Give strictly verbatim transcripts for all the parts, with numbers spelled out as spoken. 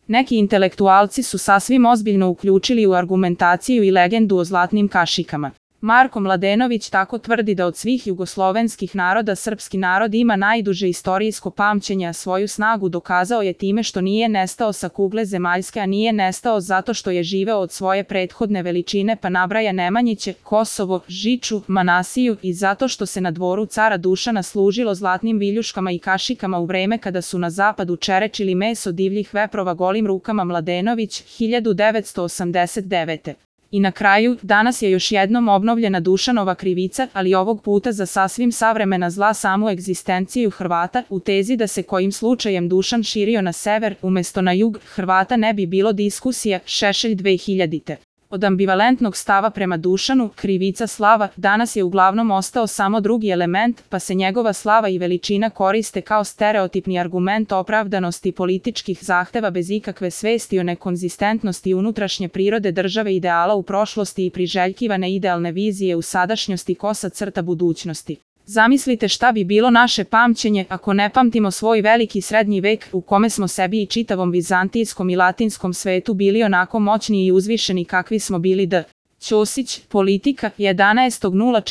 Neki intelektualci su sasvim ozbiljno uključili u argumentaciju i legendu o zlatnim kašikama. Marko Mladenović tako tvrdi da od svih jugoslovenskih naroda srpski narod ima najduže istorijsko pamćenje, a svoju snagu dokazao je time što nije nestao sa kugle zemaljske, a nije nestao zato što je živeo od svoje prethodne veličine, pa nabraja Nemanjiće, Kosovo, Žiču, Manasiju, i zato što se na dvoru cara Dušana služilo zlatnim viljuškama i kašikama u vreme kada su na zapadu čerečili meso divljih veprova golim rukama. Mladenović, hiljadu devetsto osamdeset devete. I na kraju, danas je još jednom obnovljena Dušanova krivica, ali ovog puta za sasvim savremena zla samu egzistenciju Hrvata, u tezi da se kojim slučajem Dušan širio na sever, umesto na jug, Hrvata ne bi bilo diskusija. Šešelj dve hiljadite. Od ambivalentnog stava prema Dušanu, krivica slava, danas je uglavnom ostao samo drugi element, pa se njegova slava i veličina koriste kao stereotipni argument opravdanosti političkih zahteva bez ikakve svesti o nekonzistentnosti unutrašnje prirode države, ideala u prošlosti i priželjkivane idealne vizije u sadašnjosti, kosa crta budućnosti. Zamislite šta bi bilo naše pamćenje ako ne pamtimo svoj veliki srednji vek u kome smo sebi i čitavom vizantijskom i latinskom svetu bili onako moćni i uzvišeni kakvi smo bili. D. Ćosić, Politika, jedanaestog jula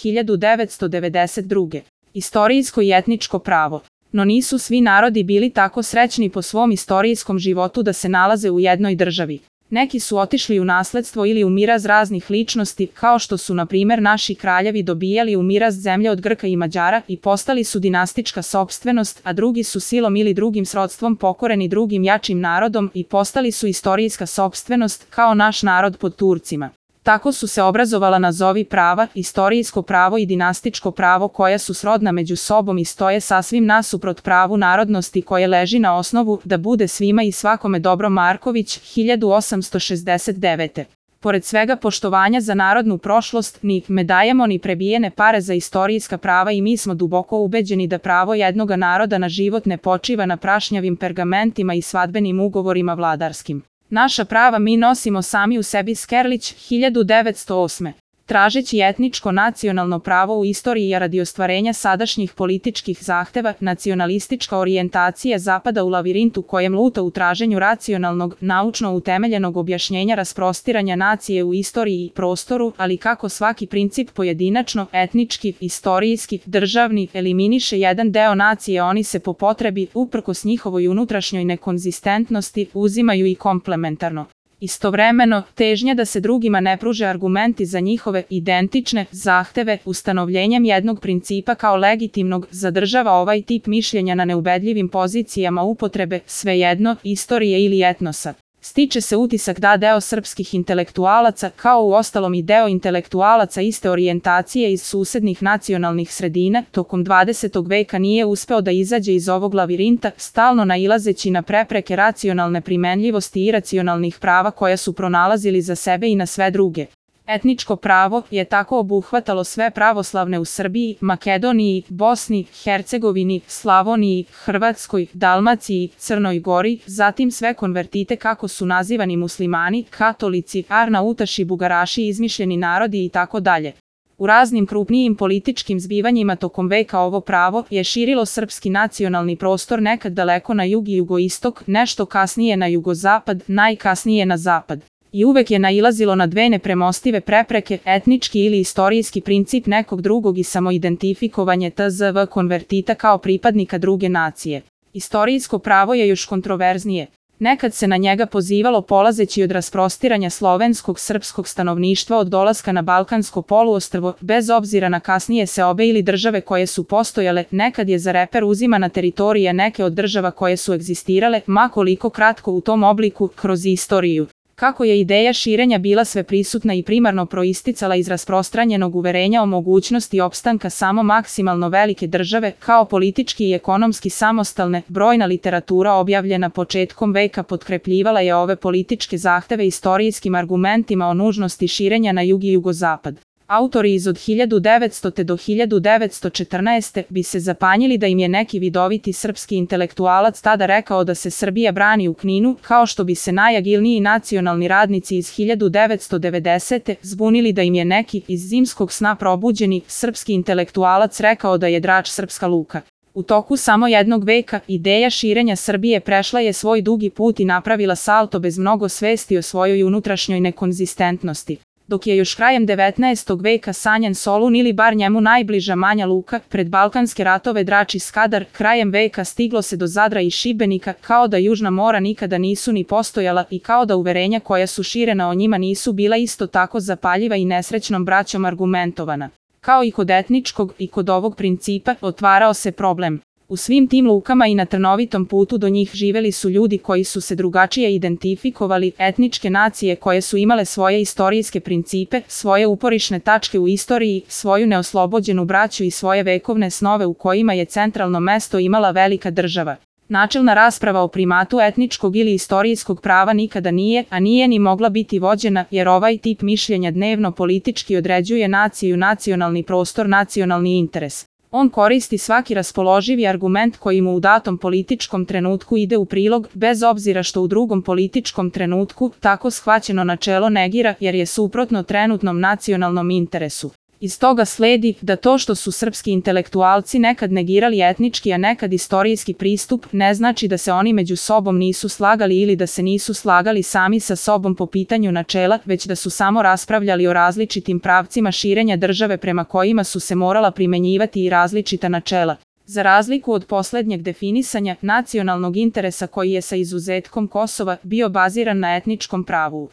hiljadu devetsto devedeset druge. Istorijsko i etničko pravo. No nisu svi narodi bili tako srećni po svom istorijskom životu da se nalaze u jednoj državi. Neki su otišli u nasledstvo ili u miraz raznih ličnosti, kao što su na primjer naši kraljevi dobijali u miraz zemlje od Grka i Mađara i postali su dinastička sopstvenost, a drugi su silom ili drugim srodstvom pokoreni drugim jačim narodom i postali su istorijska sopstvenost, kao naš narod pod Turcima. Tako su se obrazovala nazovi prava, istorijsko pravo i dinastičko pravo, koja su srodna među sobom i stoje sasvim nasuprot pravu narodnosti koje leži na osnovu da bude svima i svakome dobro. Marković, hiljadu osamsto šezdeset devete. Pored svega poštovanja za narodnu prošlost, ni ne dajemo ni prebijene pare za istorijska prava i mi smo duboko ubeđeni da pravo jednoga naroda na život ne počiva na prašnjavim pergamentima i svadbenim ugovorima vladarskim. Naša prava mi nosimo sami u sebi. Skerlić, hiljadu devetsto osme. Tražeći etničko nacionalno pravo u istoriji, a radi ostvarenja sadašnjih političkih zahteva, nacionalistička orijentacija zapada u lavirintu kojem luta u traženju racionalnog, naučno utemeljenog objašnjenja rasprostiranja nacije u istoriji i prostoru, ali kako svaki princip pojedinačno, etnički, istorijski, državni, eliminiše jedan deo nacije, oni se po potrebi, uprkos njihovoj unutrašnjoj nekonzistentnosti, uzimaju i komplementarno. Istovremeno, težnja da se drugima ne pruže argumenti za njihove identične zahteve ustanovljenjem jednog principa kao legitimnog zadržava ovaj tip mišljenja na neubedljivim pozicijama upotrebe, svejedno, istorije ili etnosa. Stiče se utisak da deo srpskih intelektualaca, kao u ostalom i deo intelektualaca iste orijentacije iz susednih nacionalnih sredina, tokom dvadesetog veka nije uspeo da izađe iz ovog lavirinta, stalno nailazeći na prepreke racionalne primenljivosti i iracionalnih prava koja su pronalazili za sebe i na sve druge. Etničko pravo je tako obuhvatalo sve pravoslavne u Srbiji, Makedoniji, Bosni, Hercegovini, Slavoniji, Hrvatskoj, Dalmaciji, Crnoj Gori, zatim sve konvertite kako su nazivani muslimani, katolici, arnautaši, bugaraši, izmišljeni narodi i tako dalje. U raznim krupnijim političkim zbivanjima tokom veka ovo pravo je širilo srpski nacionalni prostor nekad daleko na jug i jugoistok, nešto kasnije na jugozapad, najkasnije na zapad. I uvek je nailazilo na dve nepremostive prepreke, etnički ili istorijski princip nekog drugog i samoidentifikovanje tzv. Konvertita kao pripadnika druge nacije. Istorijsko pravo je još kontroverznije. Nekad se na njega pozivalo polazeći od rasprostiranja slovenskog srpskog stanovništva od dolaska na Balkansko poluostrvo, bez obzira na kasnije seobe ili države koje su postojale, nekad je za reper uzimana teritorija neke od država koje su egzistirale, ma koliko kratko u tom obliku, kroz istoriju. Kako je ideja širenja bila sveprisutna i primarno proisticala iz rasprostranjenog uverenja o mogućnosti opstanka samo maksimalno velike države, kao politički i ekonomski samostalne, brojna literatura objavljena početkom veka potkrepljivala je ove političke zahteve istorijskim argumentima o nužnosti širenja na jug i jugozapad. Autori iz od hiljadu devetstote do hiljadu devetsto četrnaeste. bi se zapanjili da im je neki vidoviti srpski intelektualac tada rekao da se Srbija brani u Kninu, kao što bi se najagilniji nacionalni radnici iz hiljadu devetsto devedesete. zbunili da im je neki iz zimskog sna probuđeni srpski intelektualac rekao da je Drač srpska luka. U toku samo jednog veka, ideja širenja Srbije prešla je svoj dugi put i napravila salto bez mnogo svesti o svojoj unutrašnjoj nekonzistentnosti. Dok je još krajem devetnaestog veka sanjan Solun ili bar njemu najbliža Manja Luka, pred balkanske ratove Drač i Skadar, krajem veka stiglo se do Zadra i Šibenika, kao da Južna mora nikada nisu ni postojala i kao da uverenja koja su širena o njima nisu bila isto tako zapaljiva i nesrećnom braćom argumentovana. Kao i kod etničkog i kod ovog principa, otvarao se problem. U svim tim lukama i na trnovitom putu do njih živeli su ljudi koji su se drugačije identifikovali, etničke nacije koje su imale svoje istorijske principe, svoje uporišne tačke u istoriji, svoju neoslobođenu braću i svoje vekovne snove u kojima je centralno mesto imala velika država. Načelna rasprava o primatu etničkog ili istorijskog prava nikada nije, a nije ni mogla biti vođena, jer ovaj tip mišljenja dnevno politički određuje naciju, nacionalni prostor, nacionalni interes. On koristi svaki raspoloživi argument koji mu u datom političkom trenutku ide u prilog, bez obzira što u drugom političkom trenutku tako shvaćeno načelo negira jer je suprotno trenutnom nacionalnom interesu. Iz toga sledi da to što su srpski intelektualci nekad negirali etnički, a nekad istorijski pristup, ne znači da se oni među sobom nisu slagali ili da se nisu slagali sami sa sobom po pitanju načela, već da su samo raspravljali o različitim pravcima širenja države prema kojima su se morala primenjivati i različita načela. Za razliku od poslednjeg definisanja nacionalnog interesa koji je sa izuzetkom Kosova bio baziran na etničkom pravu.